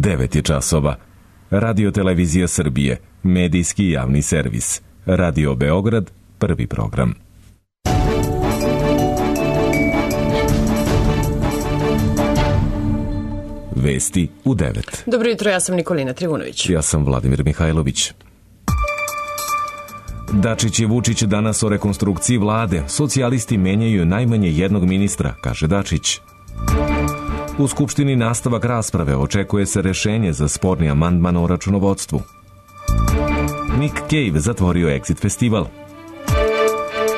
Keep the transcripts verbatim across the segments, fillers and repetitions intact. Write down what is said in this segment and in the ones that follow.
devet je časova. Radio Televizija Srbije, medijski javni servis. Radio Beograd, prvi program. Vesti u devet. Dobro jutro, ja sam Nikolina Trivunović. Ja sam Vladimir Mihajlović. Dačić i Vučić danas o rekonstrukciji vlade. Socijalisti menjaju najmanje jednog ministra, kaže Dačić. U Skupštini nastavak rasprave, očekuje se rešenje za sporni amandman o računovodstvu. Nick Cave zatvorio Exit festival.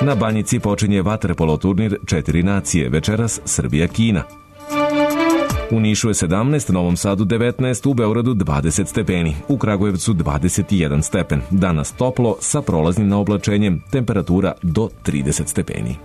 Na Banjici počinje vaterpolo turnir Četiri nacije, večeras Srbija-Kina. U Nišu je sedamnaest, Novom Sadu devetnaest, u Beogradu dvadeset stepeni, u Kragujevcu dvadeset jedan stepen. Danas toplo sa prolaznim naoblačenjem, temperatura do trideset stepeni.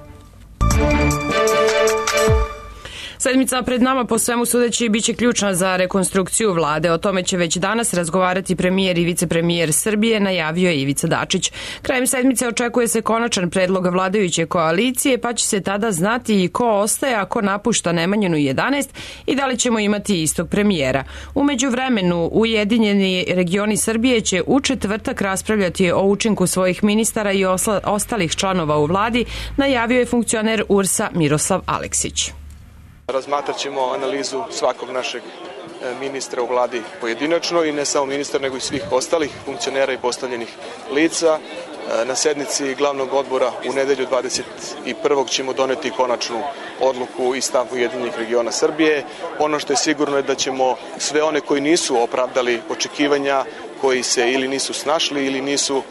Sedmica pred nama po svemu sudeći biće ključna za rekonstrukciju vlade. O tome će već danas razgovarati premijer i vicepremijer Srbije, najavio je Ivica Dačić. Krajem sedmice očekuje se konačan predlog vladajuće koalicije, pa će se tada znati i ko ostaje, a ko napušta Nemanjinu jedanaest i da li ćemo imati istog premijera. U međuvremenu, Ujedinjeni regioni Srbije će u četvrtak raspravljati o učinku svojih ministara i osla, ostalih članova u vladi, najavio je funkcioner U R S-a Miroslav Aleksić. Razmatrat ćemo analizu svakog našeg ministra u vladi pojedinačno i ne samo ministra, nego i svih ostalih funkcionera i postavljenih lica. Na sednici glavnog odbora u nedelju dvadeset prvog ćemo doneti konačnu odluku i stav Ujedinjenih regiona Srbije. Ono što je sigurno je da ćemo sve one koji nisu opravdali očekivanja, koji se ili nisu snašli ili nisu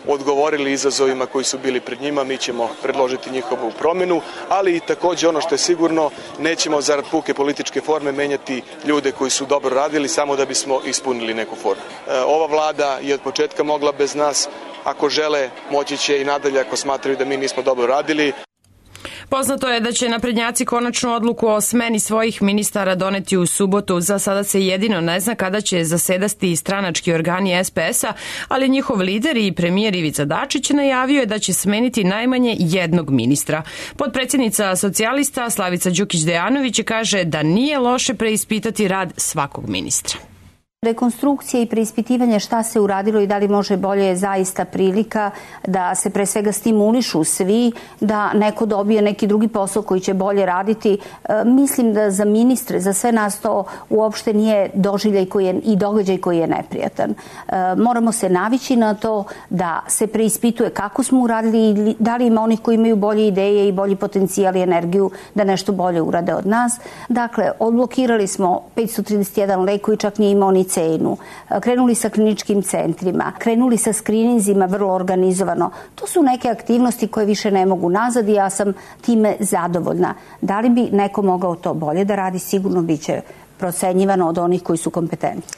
odgovorili izazovima koji su bili pred njima, mi ćemo predložiti njihovu promjenu, ali i također ono što je sigurno, nećemo zarad puke političke forme menjati ljude koji su dobro radili samo da bismo ispunili neku formu. Ova vlada je od početka mogla bez nas, ako žele moći će i nadalje ako smatraju da mi nismo dobro radili. Poznato je da će naprednjaci konačnu odluku o smeni svojih ministara doneti u subotu. Za sada se jedino ne zna kada će zasedati stranački organi S P S-a, ali njihov lider i premijer Ivica Dačić najavio je da će smeniti najmanje jednog ministra. Potpredsjednica socijalista Slavica Đukić-Dejanović kaže da nije loše preispitati rad svakog ministra. Rekonstrukcija i preispitivanje šta se uradilo i da li može bolje je zaista prilika da se pre svega stimulišu svi, da neko dobije neki drugi posao koji će bolje raditi. E, mislim da za ministre, za sve nas to uopšte nije doživljaj koji je, i događaj koji je neprijatan. E, moramo se navići na to da se preispituje kako smo uradili i da li ima onih koji imaju bolje ideje i bolji potencijal i energiju da nešto bolje urade od nas. Dakle, odblokirali smo petsto trideset jedan lek koji čak nije imao ni cenu. Krenuli sa kliničkim centrima, krenuli sa skrininzima vrlo organizovano. To su neke aktivnosti koje više ne mogu nazad i ja sam time zadovoljna. Da li bi neko mogao to bolje da radi, sigurno biće procenjivano od onih koji su kompetentni.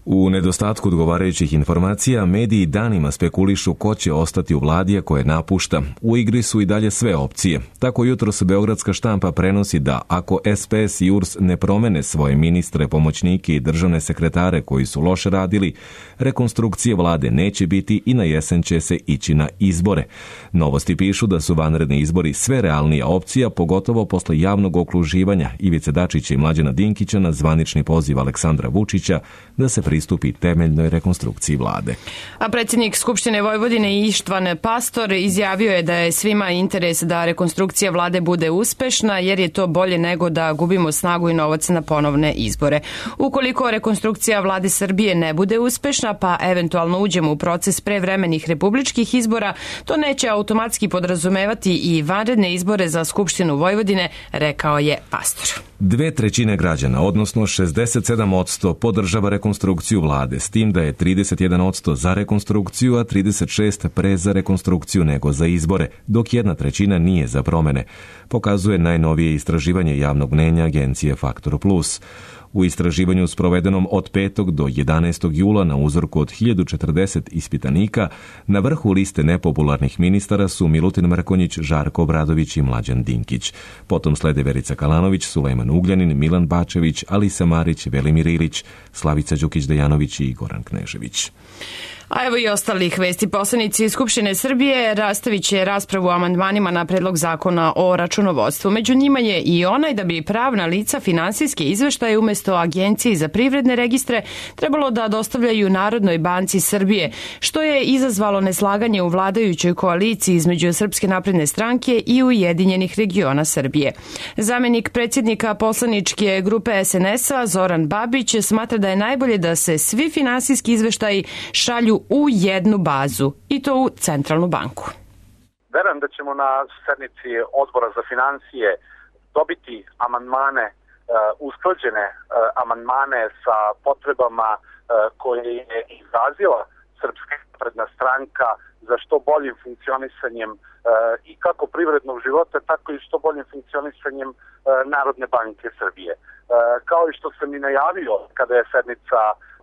U nedostatku odgovarajućih informacija, mediji danima spekulišu ko će ostati u vladi, a koje napušta. U igri su i dalje sve opcije. Tako jutros beogradska štampa prenosi da ako S P S i U R S ne promene svoje ministre, pomoćnike i državne sekretare koji su loše radili, rekonstrukcije vlade neće biti i na jesen će se ići na izbore. Novosti pišu da su vanredni izbori sve realnija opcija, pogotovo posle javnog okruživanja Ivice Dačića i Mlađana Dinkića na zvanični poziv Aleksandra Vučića da se pristupi temeljnoj rekonstrukciji vlade. A predsjednik Skupštine Vojvodine Ištvan Pastor izjavio je da je svima interes da rekonstrukcija vlade bude uspešna, jer je to bolje nego da gubimo snagu i novac na ponovne izbore. Ukoliko rekonstrukcija vlade Srbije ne bude uspešna, pa eventualno uđemo u proces prevremenih republičkih izbora, to neće automatski podrazumevati i vanredne izbore za Skupštinu Vojvodine, rekao je Pastor. Dve trećine građana, odnosno šezdeset sedam posto podržava rekonstrukciju vlade, s tim da je trideset jedan posto za rekonstrukciju, a trideset šest posto pre za rekonstrukciju nego za izbore, dok jedna trećina nije za promene, pokazuje najnovije istraživanje javnog mnjenja agencije Faktor Plus. U istraživanju sprovedenom od petog do jedanaestog jula na uzorku od hiljadu četrdeset ispitanika, na vrhu liste nepopularnih ministara su Milutin Mrkonjić, Žarko Obradović i Mlađan Dinkić. Potom slede Verica Kalanović, Sulejman Ugljanin, Milan Bačević, Alisa Marić, Velimir Ilić, Slavica Đukić-Dejanović i Goran Knežević. A evo i ostalih vesti. Poslanici Skupštine Srbije rastavit će raspravu o amandmanima na predlog zakona o računovodstvu. Među njima je i onaj da bi pravna lica finansijske izveštaje umesto Agenciji za privredne registre trebalo da dostavljaju Narodnoj banci Srbije, što je izazvalo neslaganje u vladajućoj koaliciji između Srpske napredne stranke i Ujedinjenih regiona Srbije. Zamenik predsjednika poslaničke grupe es en es a Zoran Babić smatra da je najbolje da se svi finansijski izveštaji šalju u jednu bazu, i to u Centralnu banku. Verujem da ćemo na sednici Odbora za financije dobiti amandmane, usklađene amandmane sa potrebama koje je izrazila Srpska napredna stranka za što boljim funkcionisanjem i kako privrednog života, tako i što boljim funkcionisanjem Narodne banke Srbije. Kao i što sam i najavio kada je sednica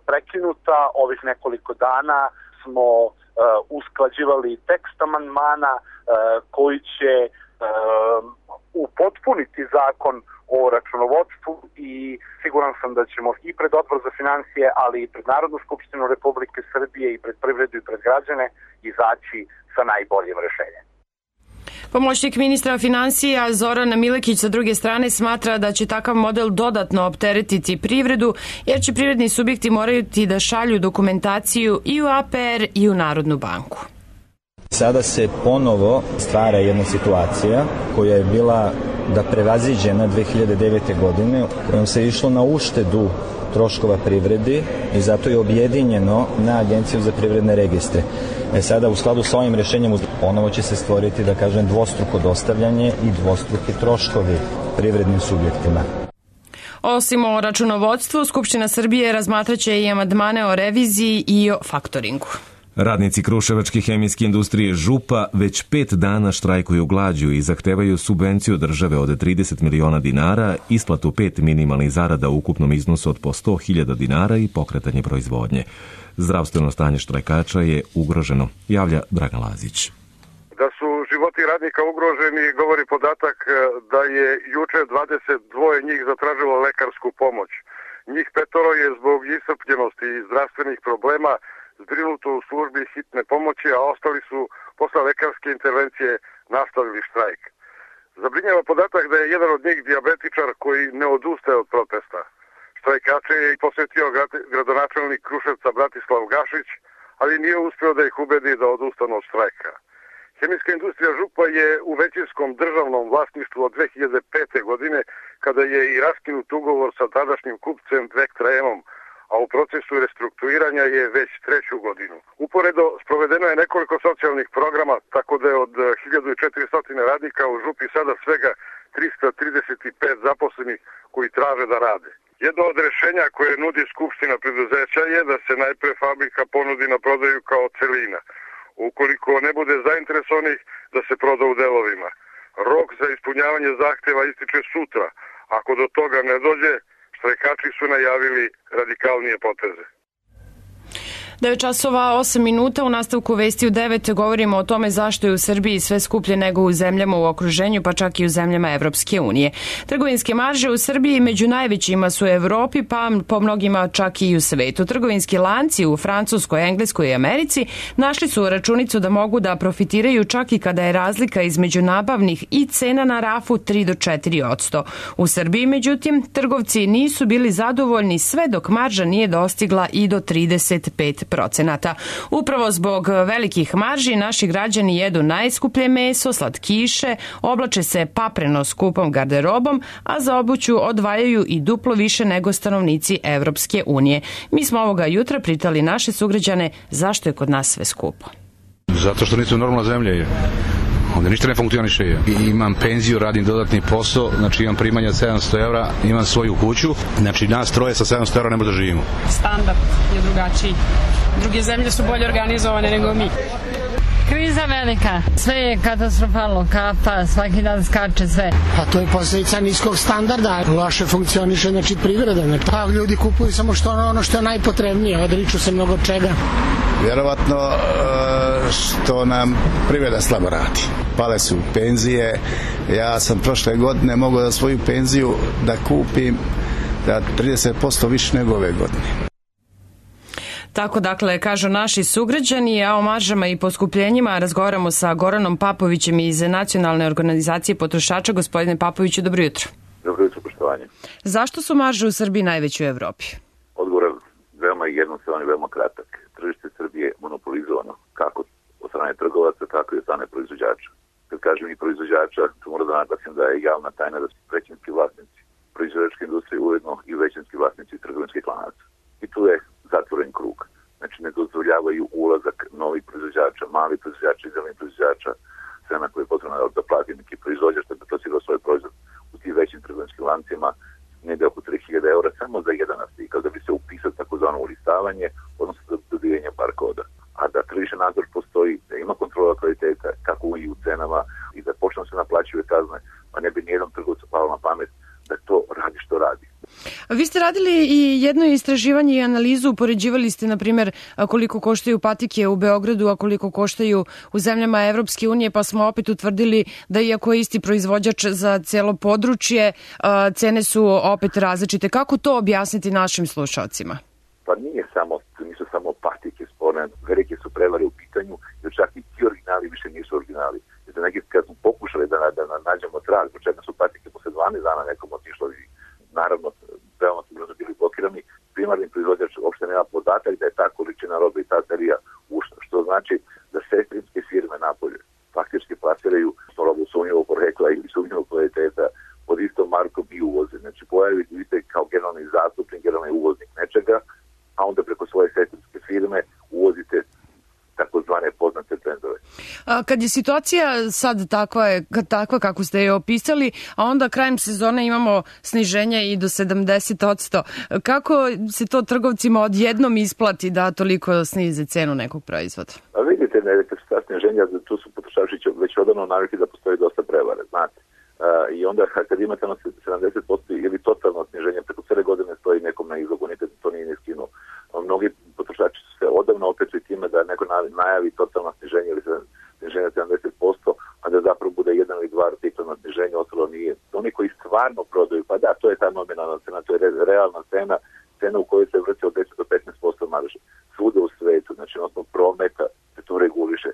prekinuta, ovih nekoliko dana smo uh, usklađivali tekst amandmana uh, koji će uh, upotpuniti zakon o računovodstvu i siguran sam da ćemo i pred Odbor za financije, ali i pred Narodnu skupštinu Republike Srbije i pred privredu i pred građane izaći sa najboljim rešenjem. Pomoćnik ministra finansija Zoran Milekić sa druge strane smatra da će takav model dodatno opteretiti privredu, jer će privredni subjekti morati da šalju dokumentaciju i u a pe er i u Narodnu banku. Sada se ponovo stvara jedna situacija koja je bila da prevaziđena dve hiljade devete. godine, kojom se išlo na uštedu troškova privredi i zato je objedinjeno na Agenciju za privredne registre. E sada, u skladu sa ovim rešenjem, ponovo će se stvoriti, da kažem, dvostruko dostavljanje i dvostruki troškovi privrednim subjektima. Osim o računovodstvu, Skupština Srbije razmatraće i amandmane o reviziji i o faktoringu. Radnici Kruševačke hemijske industrije Župa već pet dana štrajkuju glađu i zahtevaju subvenciju države od trideset miliona dinara, isplatu pet minimalnih zarada u ukupnom iznosu od po sto hiljada dinara i pokretanje proizvodnje. Zdravstveno stanje štrajkača je ugroženo, javlja Dragan Lazić. Da su životi radnika ugroženi govori podatak da je juče dvadeset dva njih zatražilo lekarsku pomoć. Njih petoro je zbog iscrpljenosti i zdravstvenih problema zbrinuto u službi hitne pomoći, a ostali su posle lekarske intervencije nastavili štrajk. Zabrinjava podatak da je jedan od njih dijabetičar koji ne odustaje od protesta. Štrajkače je posetio gradonačelnik Kruševca Bratislav Gašić, ali nije uspeo da ih ubedi da odustanu od štrajka. Hemijska industrija Župa je u većinskom državnom vlasništvu od dve hiljade pete. godine, kada je i raskinut ugovor sa tadašnjim kupcem Vektra-Emom, a u procesu restrukturiranja je već treću godinu. Uporedo sprovedeno je nekoliko socijalnih programa, tako da je od hiljadu četiristo radnika u Župi sada svega trista trideset pet zaposlenih koji traže da rade. Jedno od rešenja koje nudi Skupština preduzeća je da se najpre fabrika ponudi na prodaju kao celina. Ukoliko ne bude zainteresovanih, da se proda u delovima. Rok za ispunjavanje zahteva ističe sutra. Ako do toga ne dođe, štrajkači su najavili radikalnije poteze. devet časova osam minuta, u nastavku vesti u devet govorimo o tome zašto je u Srbiji sve skuplje nego u zemljama u okruženju, pa čak i u zemljama Evropske unije. Trgovinske marže u Srbiji među najvećima su u Evropi, pa po mnogima čak i u svetu. Trgovinski lanci u Francuskoj, Engleskoj i Americi našli su računicu da mogu da profitiraju čak i kada je razlika između nabavnih i cena na rafu tri do četiri posto. U Srbiji, međutim, trgovci nisu bili zadovoljni sve dok marža nije dostigla i do trideset pet procenata. Upravo zbog velikih marži naši građani jedu najskuplje meso, slatkiše, oblače se papreno skupom garderobom, a za obuću odvajaju i duplo više nego stanovnici Evropske unije. Mi smo ovoga jutra pitali naše sugrađane zašto je kod nas sve skupo. Zato što nisu normalna zemlja je. Onda ništa ne funkcioniše. Imam penziju, radim dodatni posao, znači imam primanja od sedamsto evra, imam svoju kuću, znači nas troje sa sedamsto evra ne možemo da živimo. Standard je drugačiji. Druge zemlje su bolje organizovane nego mi. Kriza velika, sve je katastrofalno, kafa, svaki dan skače sve. Pa to je posljedica niskog standarda, loše funkcioniše, znači privreda. Pa ljudi kupuju samo što ono, ono što je najpotrebnije, odriču se mnogo čega. Vjerovatno što nam privreda slabo radi. Pale su penzije, ja sam prošle godine mogao da svoju penziju da kupim da trideset posto više nego ove godine. Tako dakle kažu naši sugrađani, a o maržama i poskupljenjima razgovaramo sa Goranom Papovićem iz Nacionalne organizacije potrošača. Gospodine Papoviću, dobro jutro. Dobro jutro, poštovanje. Zašto su marže u Srbiji najveće u Evropi? Odgovor je veoma jednostavan i veoma kratak. Tržište Srbije je monopolizovano kako od strane trgovaca, tako i od strane proizvođača. Kad kažem i proizvođača, tu moram da naglasim da je javna tajna da su većinski vlasnici proizvođačke industrije ujedno i većinski vlasnici trgovinskih lanaca. I tu je zatvoren krug. Znači ne dozvoljavaju ulazak novih proizvođača, malih proizvođača i zelenih proizvođača, cena koja je potrebna da plati neki proizvođač da bi plasirao svoj proizvod u tim većim trgovinskim lancima negde oko tri hiljade eura samo za jedan artikal da bi se upisao takozvano ulistavanje, odnosno za dobivanje bar koda. A da tržišni nadzor postoji, da ima kontrola kvaliteta, kako i u cenama i da počne se naplaćuje kazne, pa ne bi nijednom trgovcu palo na pamet da to radi što radi. Vi ste radili i jedno istraživanje i analizu, upoređivali ste, na primjer, koliko koštaju patike u Beogradu, a koliko koštaju u zemljama Evropske unije, pa smo opet utvrdili da iako je isti proizvođač za cijelo područje, cene su opet različite. Kako to objasniti našim slušalcima? Pa nije samo, nisu samo patike sporne, velike su prevare u pitanju, jer čak i ti originali više nisu originali. Jer neki kad smo pokušali da, da, da nađemo trag, početno su patike posle dvanaest dana nekom otišlo i naravno, veoma su brzo bili blokirani. Primarni proizvođač uopšte nema podatak da je ta količina robe i ta serija ušla, što znači da sestrinske firme napolje faktički plasiraju robu sumnjivog porekla ili sumnjivog kvaliteta pod istom markom i uvoze. Znači pojavite se kao generalni zastupnik, generalni uvoznik nečega, a onda preko svoje sestrinske firme uvozite takozvane poznate trendove. A kad je situacija sad takva, je, takva kako ste je opisali, a onda krajem sezone imamo sniženje i do sedamdeset posto, kako se to trgovcima odjednom isplati da toliko snize cenu nekog proizvoda? A vidite, ne, ta sniženja, tu su potrošači već odavno navikli da postoji dosta prevare, znate. Uh, I onda kad imate ono sedamdeset posto ili totalno sniženje, preko cele godine stoji nekom na izlogu, nikad to nije ne skinuo. Mnogi potrošači su se odavno opetli time da neko najavi totalno sniženje ili sniženje sedamdeset posto, a da zapravo bude jedan ili dva artikla na sniženje, ostalo nije. Oni koji stvarno prodaju, pa da, to je ta nominalna cena, to je realna cena, cena u kojoj se vrti od deset do petnaest posto marže. Svuda u svetu, znači osnovu prometa se to reguliše.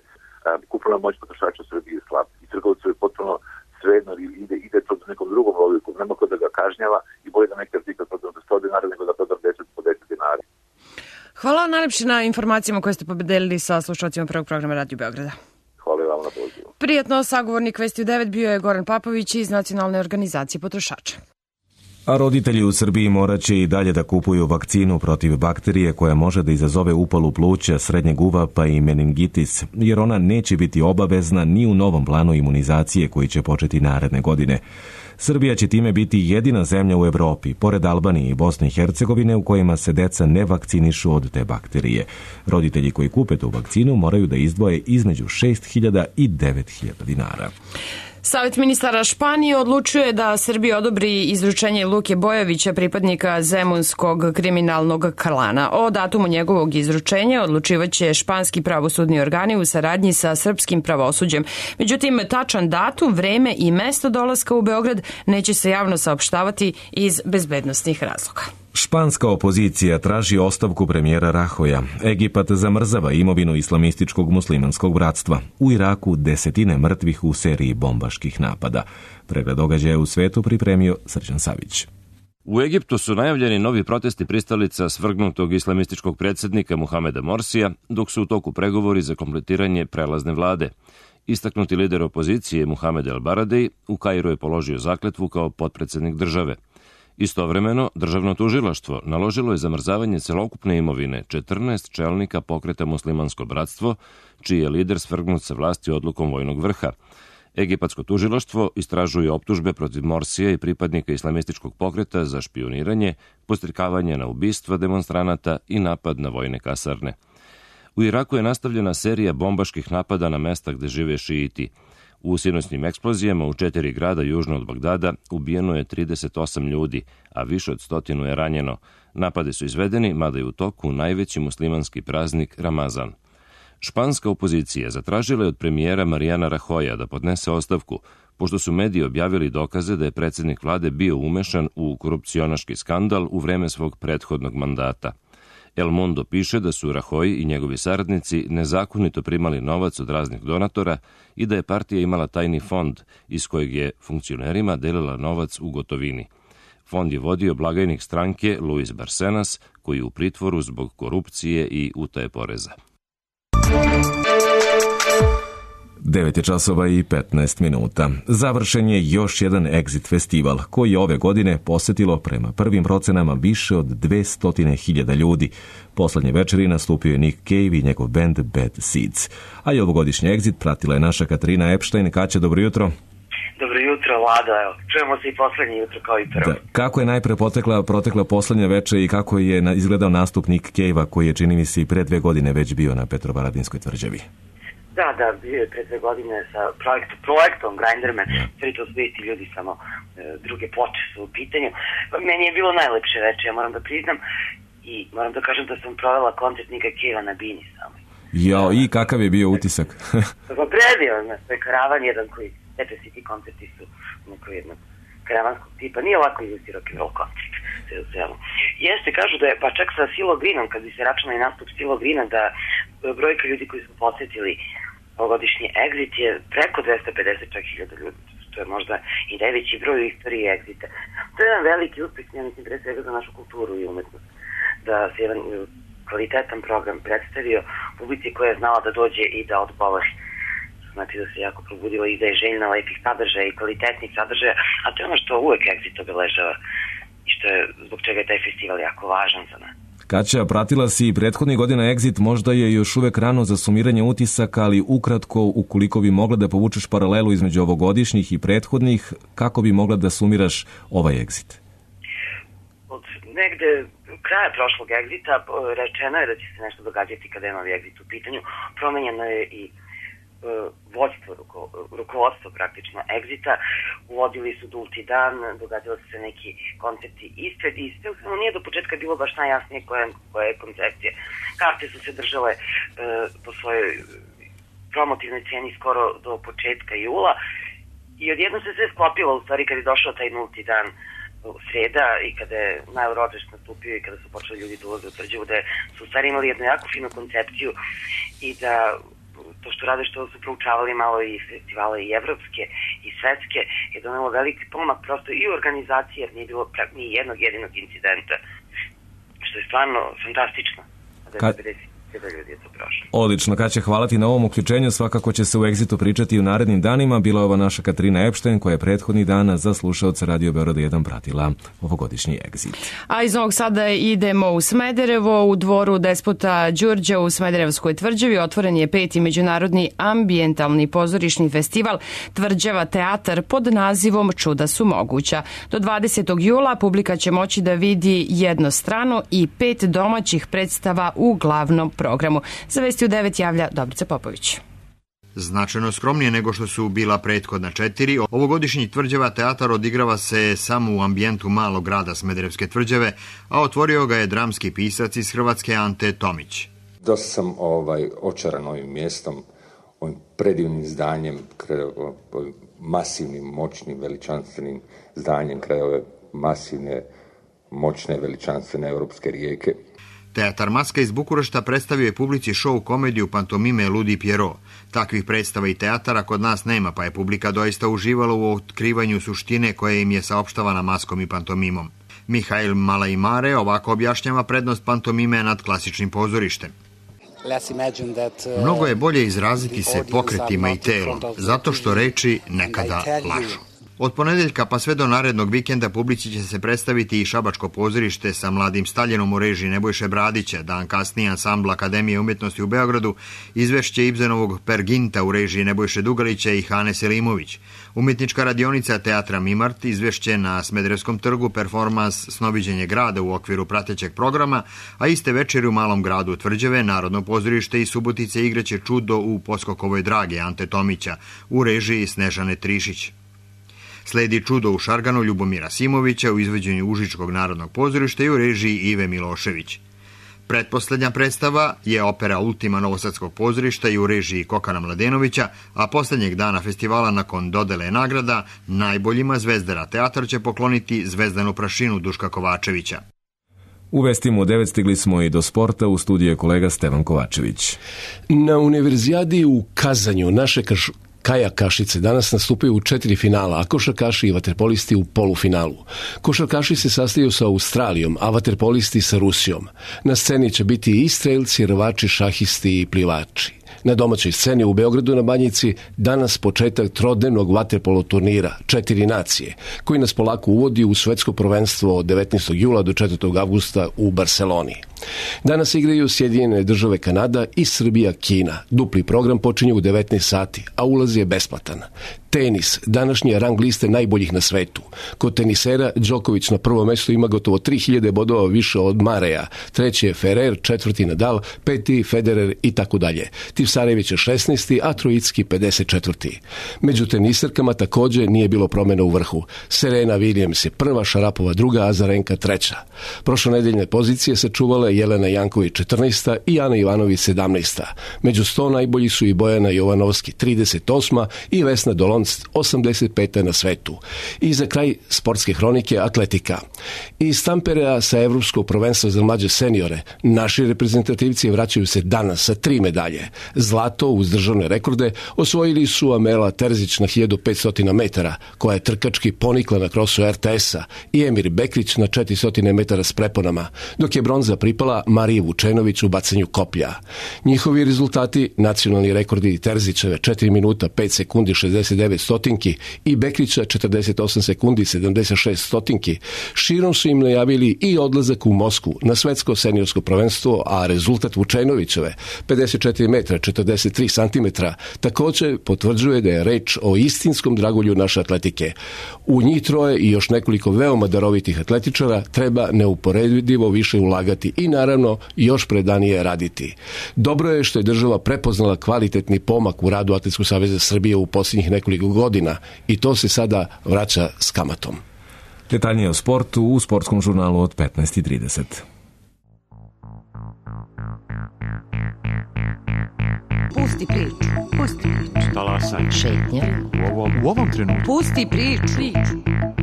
Kupovna moć potrošača u Srbiji je slab i trgovcu je potpuno svejedno ide, ide to nekom drugom logiku, nema ko da ga kažnjava i bolje da neki artikl prodam za sto dinara nego da prodam deset po deset dinara. Hvala najlepše na informacijama koje ste podelili sa slušalcima prvog programa Radio Beograda. Hvala vam na pozivu. Prijetno, sagovornik Vesti u devet bio je Goran Papović iz Nacionalne organizacije potrošača. A roditelji u Srbiji morat će i dalje da kupuju vakcinu protiv bakterije koja može da izazove upalu pluća, srednjeg uva pa i meningitis, jer ona neće biti obavezna ni u novom planu imunizacije koji će početi naredne godine. Srbija će time biti jedina zemlja u Evropi, pored Albanije i Bosne i Hercegovine, u kojima se deca ne vakcinišu od te bakterije. Roditelji koji kupe tu vakcinu moraju da izdvoje između šest hiljada i devet hiljada dinara. Savet ministara Španije odlučuje da Srbija odobri izručenje Luke Bojovića, pripadnika zemunskog kriminalnog klana. O datumu njegovog izručenja odlučivaće španski pravosudni organi u saradnji sa srpskim pravosuđem. Međutim, tačan datum, vreme i mesto dolaska u Beograd neće se javno saopštavati iz bezbednosnih razloga. Španska opozicija traži ostavku premijera Rahoja. Egipat zamrzava imovinu islamističkog muslimanskog bratstva. U Iraku desetine mrtvih u seriji bombaških napada. Pregled događaja u svetu pripremio Srđan Savić. U Egiptu su najavljeni novi protesti pristalica svrgnutog islamističkog predsjednika Muhameda Morsija, dok su u toku pregovori za kompletiranje prelazne vlade. Istaknuti lider opozicije Muhamed El Baradei u Kairu je položio zakletvu kao potpredsjednik države. Istovremeno, državno tužilaštvo naložilo je zamrzavanje celokupne imovine četrnaest čelnika pokreta Muslimansko bratstvo, čiji je lider svrgnut sa vlasti odlukom vojnog vrha. Egipatsko tužilaštvo istražuje optužbe protiv Morsija i pripadnika islamističkog pokreta za špijuniranje, podstrikavanje na ubistva demonstranata i napad na vojne kasarne. U Iraku je nastavljena serija bombaških napada na mesta gde žive šiiti. U sinoćnim eksplozijama u četiri grada južno od Bagdada ubijeno je trideset osam ljudi, a više od stotinu je ranjeno. Napade su izvedeni, mada je u toku najveći muslimanski praznik Ramazan. Španska opozicija zatražila je od premijera Mariana Rahoja da podnese ostavku, pošto su mediji objavili dokaze da je predsjednik vlade bio umešan u korupcionaški skandal u vreme svog prethodnog mandata. El Mundo piše da su Rajoy i njegovi saradnici nezakonito primali novac od raznih donatora i da je partija imala tajni fond iz kojeg je funkcionerima delila novac u gotovini. Fond je vodio blagajnik stranke Luis Barcenas, koji je u pritvoru zbog korupcije i utaje poreza. devet je časova i petnaest minuta. Završen je još jedan Exit festival, koji je ove godine posetilo prema prvim procenama više od dvesta hiljada ljudi. Poslednje večeri nastupio je Nick Cave i njegov band Bad Seeds. A i ovogodišnji Exit pratila je naša Katarina Epstein. Kaća, dobro jutro. Dobro jutro, Lado, evo, čujemo se i poslednje jutro kao i prvo. Da. Kako je najpre potekla, protekla poslednja večer i kako je na, izgledao nastup Nick Cave-a, koji je, čini mi se, i pre dve godine već bio na Petrovaradinskoj tvrđavi? Da, da, bio je pre dve godine sa projekt, projektom Grinderman, sve to su isti ljudi, samo e, druge ploče su u pitanju. Meni je bilo najlepše večer, ja moram da priznam, i moram da kažem da sam provela koncert Nika Cave-a na Bini samo. Jao, i kakav je bio utisak? Pa predivno, to je karavan jedan koji, eto svi ti koncerti su neko jednog karavanskog tipa, nije ovako izvesti rock and roll koncert, sve u svemu. Jeste, kažu da je, pa čak sa Silo Greenom, kad bi se računao i nastup Silo Greena, da brojka ljudi koji su posetili ovogodišnji Exit je preko dvesta pedeset čak hiljada ljudi, što je možda i najveći broj u istoriji Exita. To je jedan veliki uspeh, ja mislim, pre svega za našu kulturu i umetnost, da se jedan kvalitetan program predstavio publici koja je znala da dođe i da odgovori. Znači da se jako probudila i da je željna lepih sadržaja i kvalitetnih sadržaja, a to je ono što uvek Exit obeležava i što je, zbog čega je taj festival jako važan za nas. Kaća, pratila si i prethodnih godina Exit, možda je još uvek rano za sumiranje utisaka, ali ukratko, ukoliko bi mogla da povučeš paralelu između ovogodišnjih i prethodnih, kako bi mogla da sumiraš ovaj Exit? Od negde kraja prošlog Exita rečeno je da će se nešto događati kada je novi Exit u pitanju. Promenjeno je i vođstvo, ruko, rukovodstvo praktično Exita, uvodili su nulti dan, događali su se neki koncerti ispred i sve u svemu nije do početka bilo baš najjasnije koja, koja je koncepcija. Karte su se držale e, po svojoj promotivnoj ceni skoro do početka jula i odjedno se sve sklopilo u stvari kad je došao taj nulti dan u sreda i kada je Najorođeš nastupio i kada su počeli ljudi da ulaze u Tvrđavu, da su u stvari imali jednu jako finu koncepciju i da to što rade, što su proučavali malo i festivale i evropske i svetske, je donelo veliki pomak prosto i u organizaciji, jer nije bilo ni jednog jedinog incidenta, što je stvarno fantastično. Ka... Odlično, Kaća, hvala ti na ovom uključenju. Svakako će se u Exitu pričati u narednim danima. Bila je ova naša Katarina Epstein, koja je prethodnih dana za slušaoca Radio Beograda jedan pratila ovogodišnji Exit. A iz Novog Sada idemo u Smederevo. U dvoru despota Đurđa u Smederevskoj tvrđavi otvoren je peti međunarodni ambijentalni pozorišni festival Tvrđava teatar pod nazivom Čuda su moguća. Do dvadesetog jula publika će moći da vidi jednostrano i pet domaćih predstava u glavnom programu. Za Vesti u devet javlja Dobrica Popović. Značajno skromnije nego što su bila prethodna četiri, ovogodišnji Tvrđava teatar odigrava se samo u ambijentu malog grada Smederevske Tvrđave, a otvorio ga je dramski pisac iz Hrvatske Ante Tomić. Dosta sam ovaj, očaran ovim mjestom, ovim predivnim zdanjem, ovim masivnim, moćnim, veličanstvenim zdanjem kraj ove masivne, moćne, veličanstvene europske rijeke. Teatar Maska iz Bukurešta predstavio je publici show komediju pantomime Ludi Pierrot. Takvih predstava i teatara kod nas nema, pa je publika doista uživala u otkrivanju suštine koje im je saopštavana maskom i pantomimom. Mihail Malajmare ovako objašnjava prednost pantomime nad klasičnim pozorištem. Mnogo je bolje izraziti se pokretima i telom, zato što reči nekada lažu. Od ponedeljka pa sve do narednog vikenda publici će se predstaviti i Šabačko pozorište sa Mladim Staljinom u režiji Nebojše Bradića, dan kasnije ansambl Akademije umjetnosti u Beogradu, izvešće Ibzenovog Perginta u režiji Nebojše Dugalića i Hane Selimović, umjetnička radionica Teatra Mimart, izvešće na Smederevskom trgu performans Snoviđenje grada u okviru pratećeg programa, a iste večeri u malom gradu Tvrđave Narodno pozorište i Subotice igraće Čudo u Poskokovoj drage Ante Tomića u režiji Snežane Trišić. Sledi Čudo u Šarganu Ljubomira Simovića u izvođenju Užičkog narodnog pozorišta i u režiji Ive Milošević. Pretposlednja predstava je opera Ultima Novosadskog pozorišta i u režiji Kokana Mladenovića, a poslednjeg dana festivala nakon dodele nagrada najboljima Zvezdara teatar će pokloniti Zvezdanu prašinu Duška Kovačevića. U vestima u devet stigli smo i do sporta, u studiju je kolega Stevan Kovačević. Na Univerzijadi u Kazanju naše kaš... kajakašice danas nastupaju u četiri finala, a košarkaši i vaterpolisti u polufinalu. Košarkaši se sastaju sa Australijom, a vaterpolisti sa Rusijom. Na sceni će biti i strelci, rvači, šahisti i plivači. Na domaćoj sceni u Beogradu na Banjici danas početak trodnevnog vaterpolo turnira Četiri nacije, koji nas polako uvodi u svetsko prvenstvo od devetnaestog jula do četvrtog avgusta u Barseloni. Danas igraju Sjedinjene države Kanada i Srbija Kina. Dupli program počinje u devetnaest sati, a ulaz je besplatan. Tenis, današnje rang liste najboljih na svetu. Kod tenisera Đoković na prvo mesto ima gotovo tri hiljade bodova više od Mareja. Treći je Ferrer, četvrti Nadal, peti Federer i tako dalje. Tipsarević je šesnaesti, a Trojicki pedeset četvrti. Među teniserkama također nije bilo promjena u vrhu. Serena Williams je prva, Šarapova druga, a Azarenka treća. Prošlonedeljne pozicije sačuvala Jelena Janković četrnaesta i Ana Ivanović sedamnaesta. Među sto najbolji su i Bojana Jovanovski trideset osma i Vesna Dolonc osamdeset peta na svetu. I za kraj sportske hronike atletika. Iz Tamperea sa Evropskog prvenstva za mlađe seniore naši reprezentativci vraćaju se danas sa tri medalje. Zlato uz državne rekorde osvojili su Amela Terzić na hiljadu petsto metara, koja je trkački ponikla na krosu er te esa, i Emir Bekrić na četiristo metara s preponama, dok je bronza pripala Mariji Vučenović u bacanju koplja. Njihovi rezultati, nacionalni rekordi Terzićeve četiri minuta pet sekundi šezdeset devet stotinki i Bekrića četrdeset osam sekundi sedamdeset šest stotinki, širom su im najavili i odlazak u Moskvu na svetsko seniorsko prvenstvo, a rezultat Vučenovićeve pedeset četiri metra četrdeset tri santimetra također potvrđuje da je reč o istinskom dragulju naše atletike. U njih troje i još nekoliko veoma darovitih atletičara treba neuporedivo više ulagati i naravno još predanije raditi. Dobro je što je država prepoznala kvalitetni pomak u radu Atletskog saveza Srbije u posljednjih nekoliko godina i to se sada vraća s kamatom. Detaljnije o sportu u sportskom žurnalu od petnaest i trideset. Pusti priču, pusti priču. Talasaj. Šetnja. U ovom, u ovom trenutku. Pusti priču.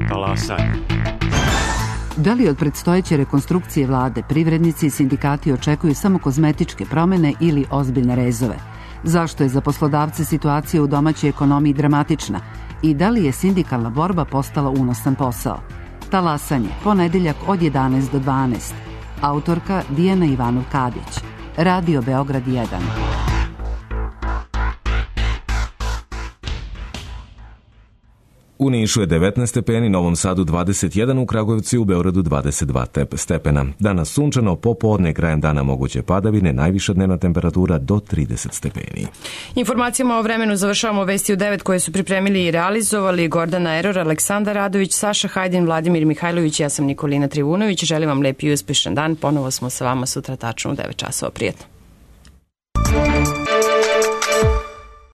Talasaj. Da li od predstojeće rekonstrukcije vlade privrednici i sindikati očekuju samo kozmetičke promjene ili ozbiljne rezove? Zašto je za poslodavce situacija u domaćoj ekonomiji dramatična? I da li je sindikalna borba postala unosan posao? Talasanje, ponedeljak od jedanaest do dvanaest. Autorka Dijana Ivanov-Kadić. Radio Beograd jedan. U Nišu je devetnaest stepeni, Novom Sadu dvadeset jedan, u Kragujevcu i u Beogradu dvadeset dva stepena. Danas sunčano, popodne krajem dana moguće padavine, najviša dnevna temperatura do trideset stepeni. Informacijama o vremenu završavamo vesti u devet koje su pripremili i realizovali Gordana Eror, Aleksandar Radović, Saša Hajdin, Vladimir Mihajlović, ja sam Nikolina Trivunović. Želim vam lep i uspešan dan. Ponovo smo sa vama sutra tačno u devet časova. Prijetno.